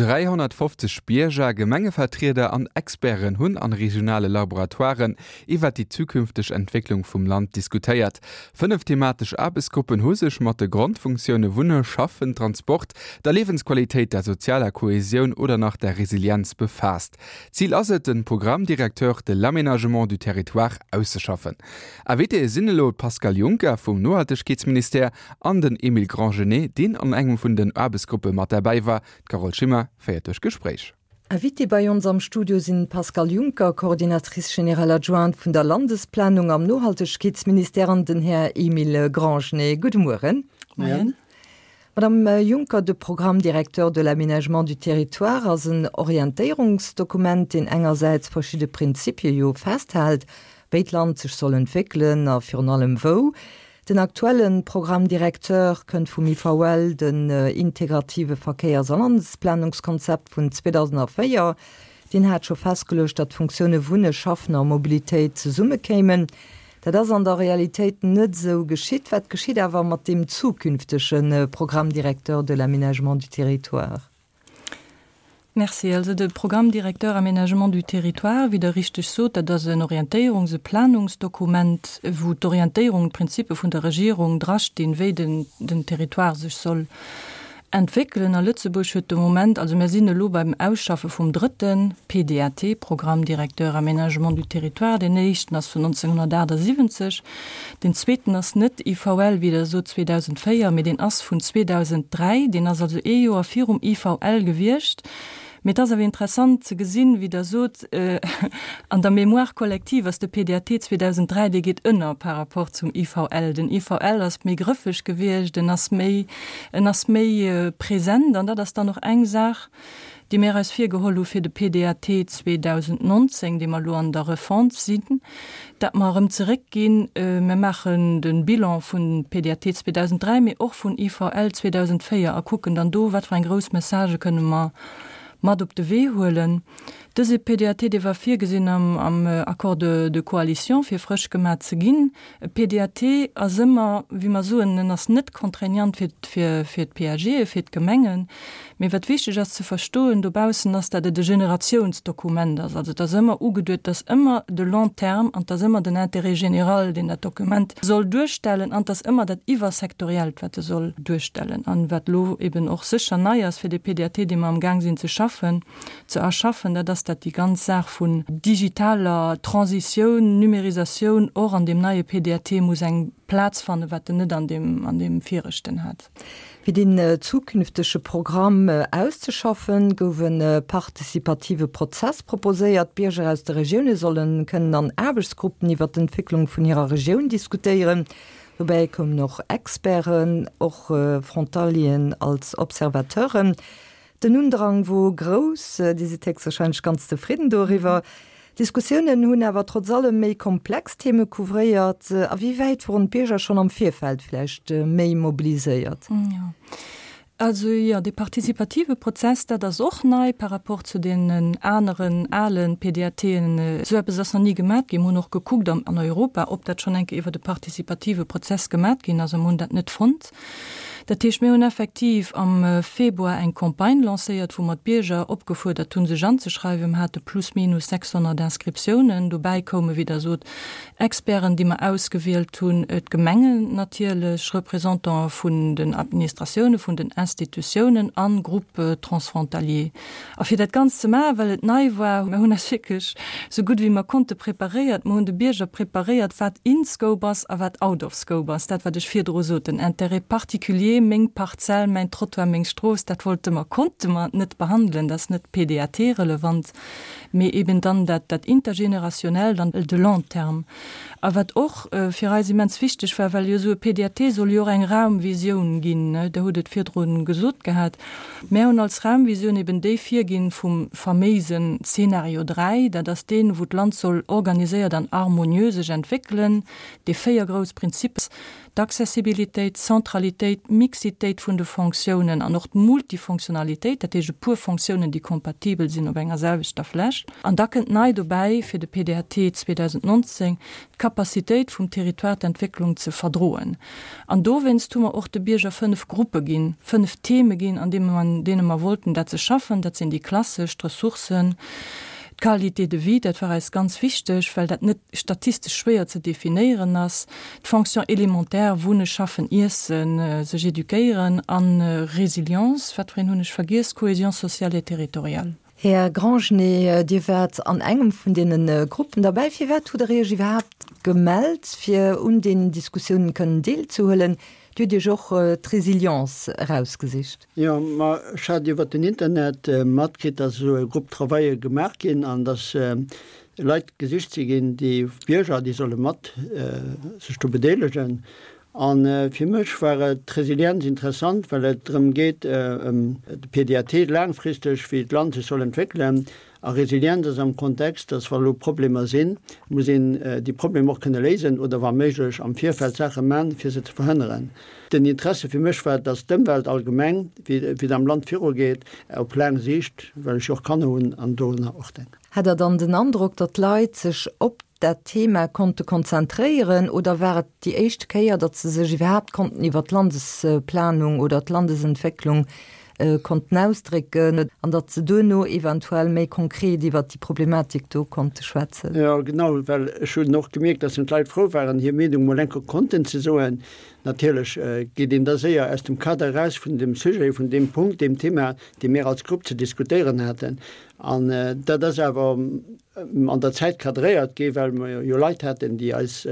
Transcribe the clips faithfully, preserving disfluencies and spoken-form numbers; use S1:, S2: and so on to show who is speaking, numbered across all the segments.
S1: Dräihonnertfofzeg Bierger, Gemengevertrieder an Experten hunn an regionale Laboratoiren iwwer déi zukünfteg Entwécklung vum Land diskutéiert. Fënnef thematesch Aarbechtsgruppen hu sech mat de Grondfunktioune Wunne, Schaffen, Transport, der Liewensqualitéit, der sozialer Kohesioun oder nach der Resilienz befaasst. Zil ass et, de Programme directeur de l'aménagement du territoire auszeschaffen. Invitéë sinn elo d'Pascale Junker vum Nohaltegkeetsministère an den Emile Grandgenêt, deen an engem vun den Aarbechtsgruppe mat derbäi war. D'Carole Schimmer féiert duerch d'Gespréich.
S2: Invité bei ons am Studio sinn d'Pascale Junker, Coordinatrice générale adjointe vun der Landesplanung am Nohaltegkeetsministère an den Här Emile Grandgenêt. Gudde Mueren.
S3: Moien.
S2: Madame Juncker, de Programme directeur de l'aménagement du territoire ass en Orientéierungsdokument, deen engersäits verschidde Prinzipie jo festhält, wéi d'Land sech soll entwéckelen a virun allem wou. Den aktuelle Programme directeur kënnt vum I V L, den integrative Verkéiers a Landesplanungskonzept vun zweedausendvéier. Deen hat scho festgeluecht, datt d'Funktioune Wunne, Schaffen a Mobilitéit zesummekéimen. Dat ass an der Realitéit net esou geschitt. Wat geschitt awer mat deem zukünftege Programme directeur de l'aménagement du territoire?
S3: Merci. Also de Programme directeur aménagement du territoire, wéi Der richteg sot, dat ass en Orientéierungs- a Planungsdokument, wou d'Orientéierung, d'Prinzippe vun der Regierung drastinn, wéi den, den Territoire sech soll entwéckelen. A Lëtzebuerg huet de Moment, also mir sinn elo beim Ausschaffe vum drëtten P D A T, Programme directeur aménagement du territoire. Den éischten ass vun nonzénghonnertaachtsiwwenzeg. Den zweeten ass net I V L, wéi Der sot, zweedausendvéier, mee deen ass vun zweedausendräi. Deen ass also ee Joer virum I V L gewiescht. Mee et ass awer interessant ze gesinn, wéi Der sot, an der Mémoire collective ass de P D A T zweedausendräi, dee geet ënner par rapport zum I V L. Den I V L ass méi grëffeg gewiescht, en ass méi, en ass méi present an dat ass dann och eng Saach, déi mir eis virgeholl hu fir de P D A T zweedausendnonzéng, dee mer elo an der Refonte sinn, dat mer erëm zeréckginn, mir maachen de Bilan vun P D A T zweedausendräi, mee och vun I V L zweedausendvéier a kucken dann do, wat fir eng grouss Messagë kënne mer mat op de Wee huelen. Dëse P D A T, dee war virgesinn am, am Accord de, de coalition fir frësch gemaach ze ginn. E P D A T ass ëmmer, wéi mer soen, en ass net contraignant fir, fir, fir d'P A G, fir d'Gemengen. Mee wat wichteg ass ze verstoen dobaussen ass, dat et e Generatiounsdokument ass. Also et ass ëmmer ugeduet, dass ëmmer de long terme an dass ëmmer den Intérêt général, deen dat Dokument soll duerstellen an dass ëmmer dat Iwwersektoriellt, wat e soll duerstellen. An wat elo eben och sécher nei ass fir de P D A T, dee mer am Gaang sinn ze schaffen, ze erschaffen, dat ass, dat déi ganz Saach vun digitaler Transitioun, Numerisatioun och an deem neie P D A T muss eng Plaz fannen, wat en net an deem, an deem viregten hat.
S2: Fir den zukünftege Programm auszeschaffen, gouf e participative Prozess proposéiert. D'Bierger aus de Regioune solle kënnen an Aarbechtsgruppen iwwer d'Entwécklung vun hirer Regioun diskutéieren. Dobäi koumen och Experten, och Frontalieren als Observateuren. Den Undrang wor grouss, Dir sidd héchstwahrscheinlech ganz zefridden doriwwer. D'Diskussiounen hunn awer trotz allem méi komplex Theme couvréiert. A wéi wäit woren d'Bierger schonn am Virfeld vläicht méi mobiliséiert?
S3: Jo. Also jo, de participative Prozess, dat ass och nei par rapport zu den aneren ale P D A T en. Esou eppes ass nach ni gemaach ginn. Mir hunn och gekuckt an an Europa, ob dat schonn eng Kéier iwwer de participative Prozess gemaach ginn ass, a mir hunn dat net fonnt. Dat heescht, mir hunn effektiv am Februar eng Campagne lancéiert, wou mer d'Bierger opgefuerdert hunn, sech anzeschreiwen. Mir hate plus minus sechshonnert Inscriptiounen. Dobäi koume, wéi Der sot, Experten, déi mer ausgewielt hunn, d'Gemengen natierlech, Représentantë vun den Administratioune, vun den Institutiounen an Groupes transfrontaliers. A fir dat Ganzt ze maachen, well et nei war, mir hunn eis wierklech sou gutt wéi mer konnte preparéiert. Mir hunn de Bierger preparéiert, wat in scope ass a wat out of scope ass. Dat, wat ech virdru sot, den Intérêt particulier, meng Parzell, mäin Trottoir, meng Strooss, dat wollte mer, konnte mer net behandelen, dat ass net P D A T-relevant, mee eben dann dat, dat intergénérationnel, dann de long terme. A wat och fir eis immens wichteg war, well jo esou e P D A T soll jo och eng Raumvisioun ginn, ne, Der hutt et virdru gesot gehat, mir hunn als Raumvisioun eben déi virginn vum faméisen Zeenario dräi, dat ass deen, wou d'Land soll organiséiert an harmonieux sech entwéckelen, dee véier grouss Prinzippe, d'Accessibilitéit, d'Centralitéit, d'Mixitéit vun de Fonctiounen an och d'Multifonctionnalitéit, dat heescht e puer Fonctiounen, déi kompatibel sinn op enger selwechter Fläch. An da kënnt nei dobäi fir de P D A T zweedausendnonzéng d'Capacitéit d'Capacitéit vum Territoire d'Entwécklung ze verdroen. An dowéinst hu mer och de Bierger fënnef Gruppe ginn, fënnef Theme ginn, an deene mer, deene mer wollten dat se schaffen. Dat sinn déi klassesch, d'Ressourcen, d'Qualité de vie, dat war eis ganz wichteg, well dat net statistesch schwéier ze definéieren ass, d'Fonctions élémentaires, Wunnen, Schaffen, Iessen, sech eduquéieren, an Résilience, wat fir een hunn ech vergiess, Cohésion sociale et territoriale.
S2: Här Grangenet, Dir waart an engem vun deene Gruppen derbäi. Firwat hutt Der Iech iwwerhaapt gemellt, fir un deenen Diskussiounen kënnen deelzehuelen? Dir hutt Iech och d'Résilience erausgesicht.
S4: Jo, ma ech hat iwwer den Internet matkritt, dass esou e Groupe travail gemaach ginn an dass Leit gesicht si ginn, déi Bierger, déi solle mat sech do bedeelegen. A fir mech war et d'Resilienz interessant, well et drëm geet, ëm de P D A T laangfristeg, wéi d'Land sech soll entwéckelen. A Resilienz ass am Kontext, dass wa lo Problemer sinn, muss een déi Problemer och kënne léisen oder wa méiglech am Virfeld Saache man, fir se ze verhënneren. Den Interesse fir mech war, dass d'Ëmwelt allgemeng, wéi et am Land virugeet, op laang Siicht, well ech jo och Kanner hunn an dorunner och denken.
S2: Hat Der dann den Androck, datt d'Leit sech op dat Thema konnte konzentréieren oder war et déi éischt Kéier, datt se sech iwwerhaapt konnten iwwer d'Landesplanung oder d'Landesentwécklung konnten ausdrécken an datt se duerno eventuell méi konkret iwwer déi Problematik do konnte schwätzen?
S4: Jo, genau, well ech hunn och gemierkt, datt d'Leit frou waren, hir Meenung mol enker konnten ze soen. Natierlech geet een da séier aus dem Kader eraus vun dem Sujet, vun deem Punkt, deem Thema, dee mir als Grupp ze diskutéieren haten. An dat ass awer an der Zäit kadréiert gi, well mer jo Leit haten, déi eis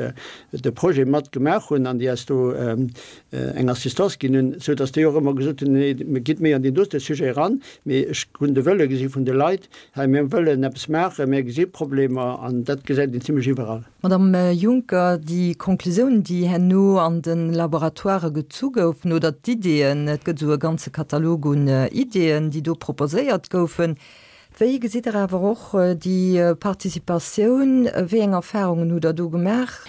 S4: de Projet mat gemaach hunn an déi eis do eng Assistance ginn hunn, sou datt déi och ëmmer gesot hunn, nee, mir gitt méi an deen dote Sujet eran. Mee ech hunn de Wëlle gesi vun de Leit, hei mir wëllen eppes maachen, mir gesi Problemer an dat gesäit een zimlech iwwerall.
S2: Madame Juncker, déi Konklusiounen, déi herno an de Laboratoirë gezu goufen oder d'Iddeen, et gëtt esou e ganze Katalog un Iddeen, déi do proposéiert goufen, wéi gesitt Der awer och déi Participatioun, wéi eng Erfahrungen hutt Der do gemaach?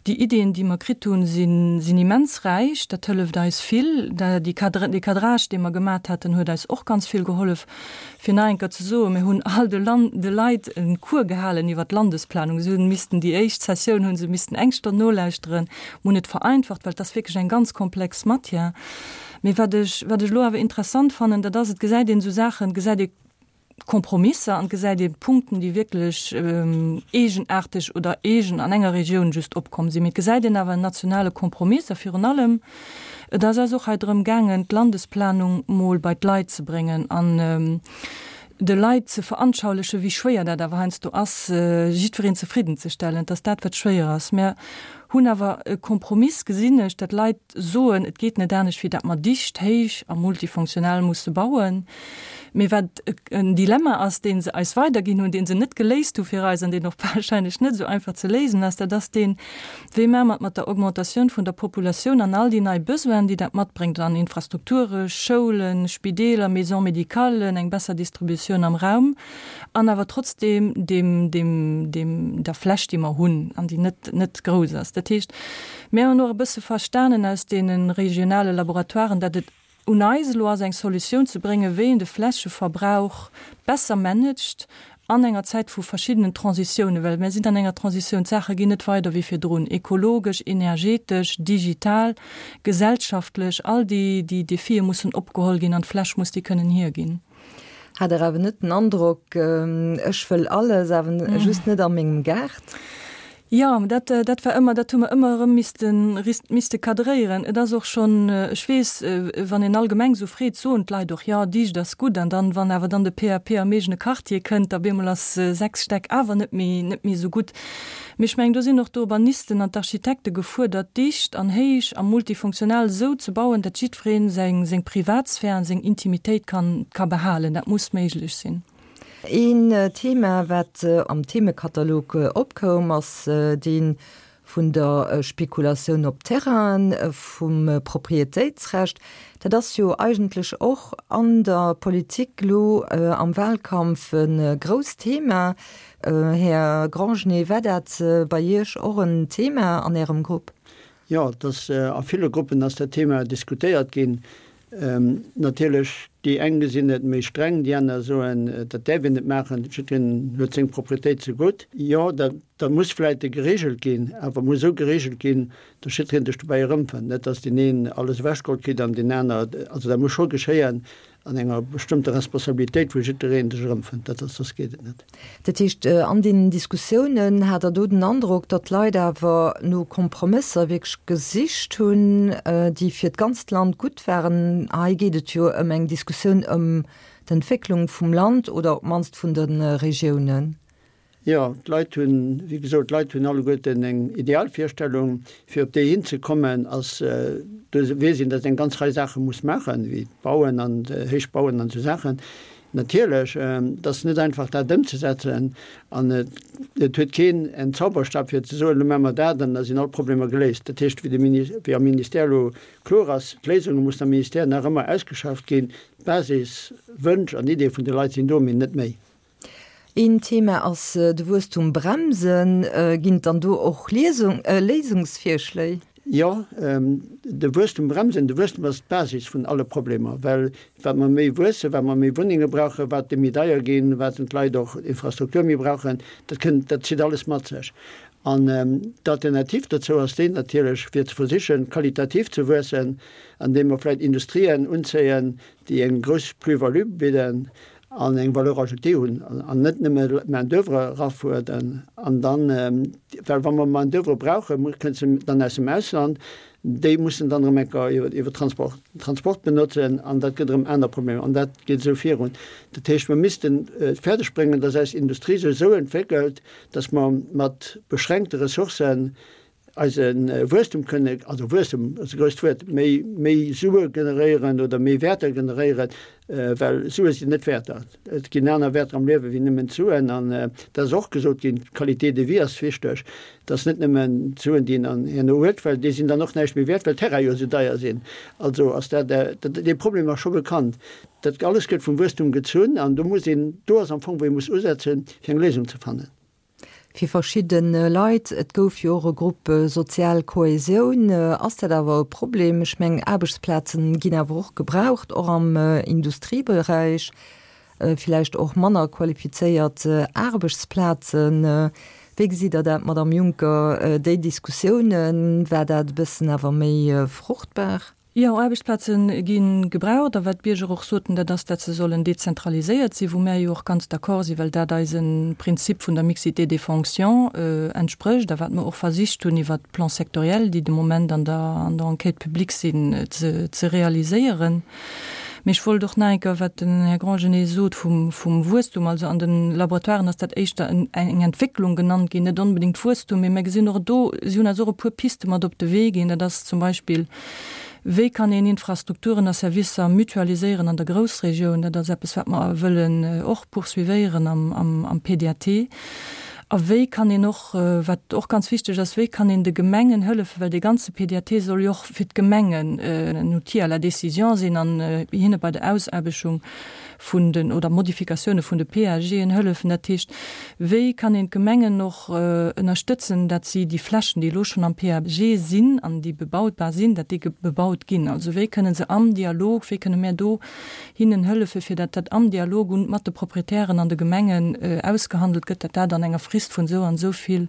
S3: Déi Iddien, déi mer kritt hunn, sinn, sinn immens räich, dat hëlleft eis vill. Dee Cadre, dee Cadrage, dee mer gemat haten, huet eis och ganz vill gehollef. Fir nach eng Kéier ze soen, mir hunn all de Land, de Leit e Cours gehalen iwwer d'Landesplanung. Si hunn missten déi éischt Sessioun hu se missten eng Stonn nolauschteren. Mir hunn et vereinfacht, well et ass wierklech eng ganz komplex Matière. Mee wat ech, wat ech elo awer interessant fannen, dat ass, et gesäit een esou Saachen, gesäit ee Kompromisser an gesäit ee Punkten, déi wierklech eegenaarteg oder eegen an enger Regioun just opkomm sinn. Mee et gesäit een awer en nationale Kompromiss a virun allem, et ass eis och hei drëm gaangen, d'Landesplanung mol bei d'Leit ze bréngen an de Leit ze veranschaulichen, wéi schwéier dat awer heiansdo ass, jiddwereen zefriddenzestellen. Et ass dat, wat schwéier ass. Mär hunn awer e Kompromiss, gesinn ech, datt Leit soen, et geet net anescht, wéi datt mer dicht, héich a multifunktional musse bauen. Mee wat en Dilemma ass, dee se eis weiderginn hunn, dee se net geléist hu fir eis an deen och wahrscheinlech net esou einfach ze léisen ass, dat ass deen, wéi maache mer et mat der Augmentatioun vun der Populatioun an all déi nei Besoinen, déi dat matbréngt an Infrastrukture, Schoulen, Spideeler, Maisons médicales, eng besser Distributioun am Raum an awer trotzdeem deem, deem, deem, der Fläch, déi mer hunn an déi net, net grouss ass. Dat heescht, mir hunn och e bësse verstanen aus deene regionale Laboratoiren, datt et un eis elo ass, eng Solutioun ze bréngen, wéi een de Flächeverbrauch besser managt an enger Zäit vu verschiddenen Transitiounen, well mir sinn an enger Transitioun, d'Saache ginn net weider wéi virdrun, ekologesch, energetesch, digital, gesellschaftlech, all déi, déi Defie mussen opgeholl ginn an d'Fläch muss déi kënnen hierginn.
S2: Hat Der awer net den Androck, ech wëll alles, awer just net a mengem Gaart?
S3: Jo, dat, dat war ëmmer, dat hu mer ëmmer erëm missten, misste kadréieren. Et ass och schonn, ech weess, wann een allgemeng esou freet, soen d'Leit och, jo, dicht ass gutt. An dann, wann awer dann de P A P am eegene Quartier kënnt, da bemol ass sechs Stäck awer net méi, net méi esou gutt. Mee ech mengen, do sinn och d'Urbanisten an d'Architekte gefuerdert, dicht an héich a multifunktional esou ze bauen, datt jiddweree seng, seng Privatsphär an seng Intimitéit kann, ka behalen. Dat muss méiglech sinn.
S2: Een Thema, wat am Themekatalog opkoum, ass dee vun der Spekulatioun op Terrainen, vum Proprietéitsrecht. Dat ass jo eigentlech och an der Politik elo am Wahlkampf e grousst Thema. Här Grangenet, war dat bei Iech och en Thema an Ärem Grupp?
S4: Jo, et ass a ville Gruppen ass dat Thema diskutéiert ginn. Natierlech, déi eng gesinn et méi streng, déi aner soen, dat däerf een net maachen, jiddwereen huet seng Proprietéit ze gutt. Jo, dat Dat muss vläicht geregelt ginn, awer muss esou geregelt ginn, datt jiddwereen sech dobäi erëmfënnt, net datt deen een alles ewechgeholl kritt an deen aner, also dat muss scho geschéien an enger bestëmmter Responsabilitéit, wou jiddwereen sech erëmfënnt, dat ass, soss geet et net.
S2: Dat heescht, an deenen Diskussiounen hat Der do den Androck, datt d'Leit awer no Kompromësser wierklech gesicht hunn, déi fir d'ganzt Land gutt waren? Hei geet et jo ëm eng Diskussioun ëm d'Entwécklung vum Land oder op d'mannst vun de Regiounen.
S4: Jo, d'Leit hunn, wéi gesot, d'Leit hunn alleguerten eng Idealvirstellung. Fir op déi hinzekommen, ass, do weess een, datt een eng ganz Rei Saache muss maachen, wéi bauen an héich bauen an esou Saachen. Natierlech, et ass net einfach dat ëmzesetzen an et huet keen en Zauberstab fir ze soen, elo maache mer dat an da sinn all d'Problemer geléist. Dat heescht, wéi de Mini, wéi am Ministère elo kloer ass, d'Léisunge mussen am Ministère nach ëmmer ausgeschafft ginn. D'Basiswënsch an Ideeë vun de Leit sinn do, mee net méi.
S2: Een Thema ass de Wuesstum bremsen. Ginn et dann do och Léisungsvirschléi?
S4: Jo, de Wuesstum bremsen. De Wuesstum ass d'Basis vun alle Problemer, well wat mer méi wuessen, wat mer méi Wunnenge brauchen, wat déi méi deier ginn, wat d'Leit och Infrastruktur méi brauchen, dat kënnt, dat zitt alles mat sech. An d'Alternativ dozou ass déi natierlech, fir ze versichen, qualitativ ze wuessen, andeem mer vläicht Industrien unzéien, déi eng grouss Plus-value bidden an eng Valeur ajoutée hunn an net nëmme Main-d'oeuvre erafuerderen. An dann, well wa mer Main-d'oeuvre brauchen, kënnt se dann aus dem Ausland, déi mussen dann erëm eng Kéier iwwer Transport, Transport benotzen an dat gëtt erëm aner Problemer an dat geet esou virun. Dat heescht, mer missten et fäerdeg bréngen, dass eis Industrie sech esou entwéckelt, dass mer mat beschränkte Ressourcen eise Wuesstum kënne, also Wuesstum ass e grousst Wuert, méi, méi Sue generéieren oder méi Wäerter generéieren, well Sue sinn net Wäerter. Et ginn aner Wäerter am Liewe wéi nëmmen d'Suen. An dat ass och gesot ginn, d'Qualité de vie ass wichteg. Et ass net nëmmen d'Suen, déi een dann herno huet, well déi sinn dann och näischt méi wäert, well d'Terraine jo esou deier sinn. Also ass dat, dee Problem ass scho bekannt. Dat alles gëtt vum Wuesstum gezunn an do muss een, do ass am Fong, wou ee muss usetzen, fir eng Léisung ze fannen.
S2: Fir verschidde Leit, et gouf jo och e Grupp sozial Kohäsioun, ass dat awer e Problem. Ech mengen, Aarbechtsplazen ginn awer och gebraucht, och am Industrieberäich, villäicht och manner qualifizéiert Aarbechtsplazen. Wéi gesitt Der dat, Madamm Juncker, déi Diskussiounen, war dat e bëssen awer méi fruchtbar?
S3: Jo, Aarbechtsplaze gi gebraucht. A wat d'Bierger och soten, dat ass, dat se sollen dezentraliséiert sinn, wou mär jo och ganz d'accord sinn, well dat eise Prinzip vun der Mixité des fonctions entsprécht a wat mer och versicht hunn iwwert d'Plans sectoriels, déi de Moment an der an der Enquête publique sinn, ze ze realiséieren. Mee ech wollt och nach eng Kéier, wat den Här Grangenet sot vum vum Wuesstum, also an de Laboratoiren ass dat éischter en eng Entwécklung genannt ginn, net onbedéngt Wuesstum, mee mir gesinn och do, si hunn eis och e puer Piste mat op de Wee ginn, dat ass zum Beispill, Wéi kann een Infrastrukturen a Servicer mutualiséieren an der Groussregioun? Dat ass eppes, wat mer wëllen och poursuivéieren am P D A T. A wéi kann een och, wat och ganz wichteg ass, wéi kann een de Gemengen hëllefen, well dee ganze P D A T soll jo och fir d'Gemengen en Outil à la décision sinn an hinne bei der Ausaarbechtung vun den oder Modifikatioune vun de P A Gen hëllefen. Dat heescht, wéi kann een d'Gemengen och ënnerstëtzen, dat si déi Flächen, déi elo schonn am P A G sinn an déi bebautbar sinn, dat déi bebaut ginn? Also wéi kënnen se am Dialog, wéi kënne mär do hinnen hëllefen, fir dat dat am Dialog un mat de Proprietären an de Gemengen ausgehandelt gëtt, dat dat an enger Frist vun esou an esou vill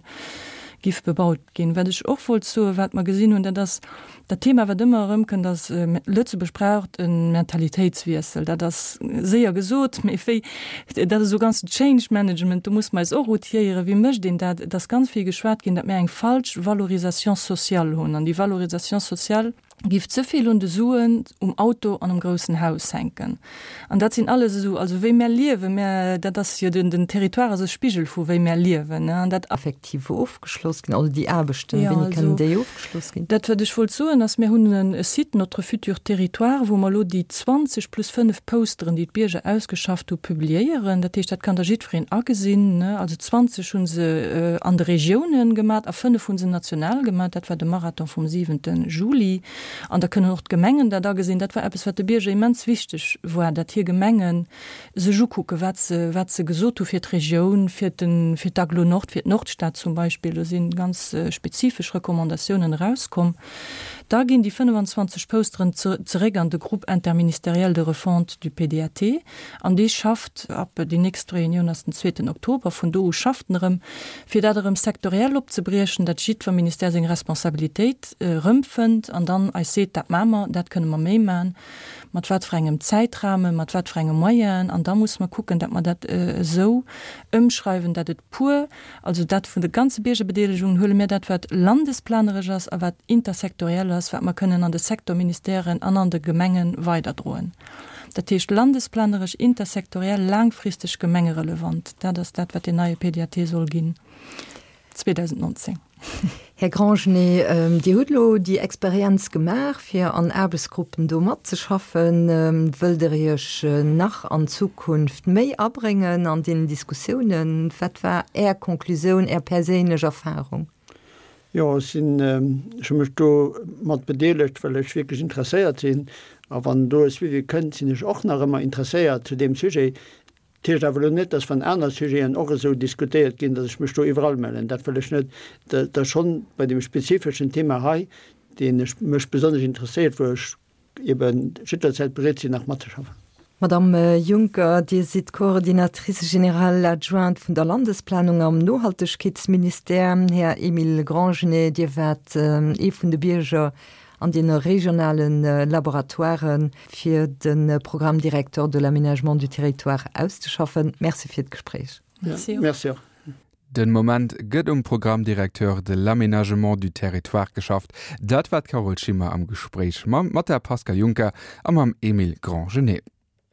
S3: giff bebaut ginn. Wat ech och wollt soen, wat mer gesinn hunn, dat ass dat Thema, wat ëmmer erëmkënnt, ass, Lëtzebuerg braucht e Mentalitéitswiessel. Dat ass séier gesot, mee wéi, dat ass esou ganzen Change Management, do muss mer eis och outiéieren, wéi mécht een dat. Et ass ganz vill geschwat ginn, datt mir eng falsch Valorisation sociale hunn. An déi Valorisation sociale giff ze vill un de Suen, um Auto an um groussen Haus hänken. An dat sinn alles esou, also wéi mär liewen, mär, dat ass jo den, den Territoire ass e Spigel vu wéi mär liewen, ne, an dat.
S2: Effektiv ofgeschloss ginn, also déi Aarbechten,
S3: Ja,
S2: wéini kënnen
S3: also
S2: déi ofgeschloss ginn?
S3: dat wat ech wollt soen ass, mir hunn e Site Notre futur territoire, wou mer elo déi zwanzeg plus fënnef Posteren, déi d'Bierger ausgeschafft hu, publiéieren. Dat heescht, dat kann da jiddwereen agesinn, ne. Also zwanzeg hu se an de Regiounen gemat a fënnef hu se national gemat. Dat war de Marathon vum siwente Juli. An da kënnen och d'Gemengen dat agesinn. Dat war eppes, wat de Bierger immens wichteg war, datt hir Gemenge sech ukucken, wat se, wat se gesot hu fir d'Regioun, fir den, fir d'Agglo Nord, fir d'Nordstad zum Beispill. Do si ganz spezifesch Recommandatiounen erauskomm. Da ginn déi fënnefenzwanzeg Posteren zeréck an de Groupe interministériel de refonte du P D A T an dee schafft ab, déi nächst Reunioun ass den zweeten Oktober, vun do u schafft en erëm, fir dat erëm sektoriell opzebriechen, dat jiddwer Ministère seng Responsabilitéit erëmfënnt an dann eis seet, dat maache mer, dat kënne mer méi maachen, mat wat fir engem Zäitrahmen, mat wat fir engem Moyen, an da muss mer kucken, dat mer dat esou ëmschreiwen, dat et pur, also dat vun de ganze Biergerbedeelegungen huele mir dat, wat landesplaneresch ass a wat intersektoriell ass, wat mer kënnen an de Sektorministèren an an de Gemenge weiderdroen. Dat heescht landesplaneresch, intersektoriell, laangfristeg gemengerelevant. Dat ass dat, wat deen neie P D A T soll ginn zweedausendnonzéng.
S2: Här Grangenet, Dir hutt elo déi Experienz gemaach, fir an Aarbechtsgruppen do matzeschaffen. Wëllt Der Iech nach an Zukunft méi abréngen an deenen Diskussiounen? Wat war Är Konklusioun, Är perséinlech Erfarung?
S4: Jo, ech sinn, ech hu mech do mat bedeelegt, well ech wierklech interesséiert sinn. A wann do e Suivi kënnt, sinn ech och nach ëmmer interesséiert zu deem Sujet. Dat heescht awer elo net, dass wann aner Sujeten och esou diskutéiert ginn, dass ech mech do iwwerall mellen. Dat wëll ech net. Dat ass schonn bei deem spezifeschen Thema hei, deen ech mech besonnesch interesséiert, wou ech eben jidderzäit bereet sinn, nach matzeschaffen.
S2: Madame Juncker, Dir sidd Coordinatrice générale adjointe vun der Landesplanung am Nohaltegkeetsministère. Här Emile Grangenet, Dir waart ee vun de Bierger an deene regionale Laboratoiren, fir de Programme directeur de l'aménagement du territoire auszeschaffen. Merci fir d'Gespréich.
S3: Merci och.
S4: Merci och.
S1: Den Moment gëtt um Programme directeur de l'aménagement du territoire geschafft. Dat war d'Carole Schimmer am Gespréich mam mat der Pascale Juncker a mam Emile Grangenet.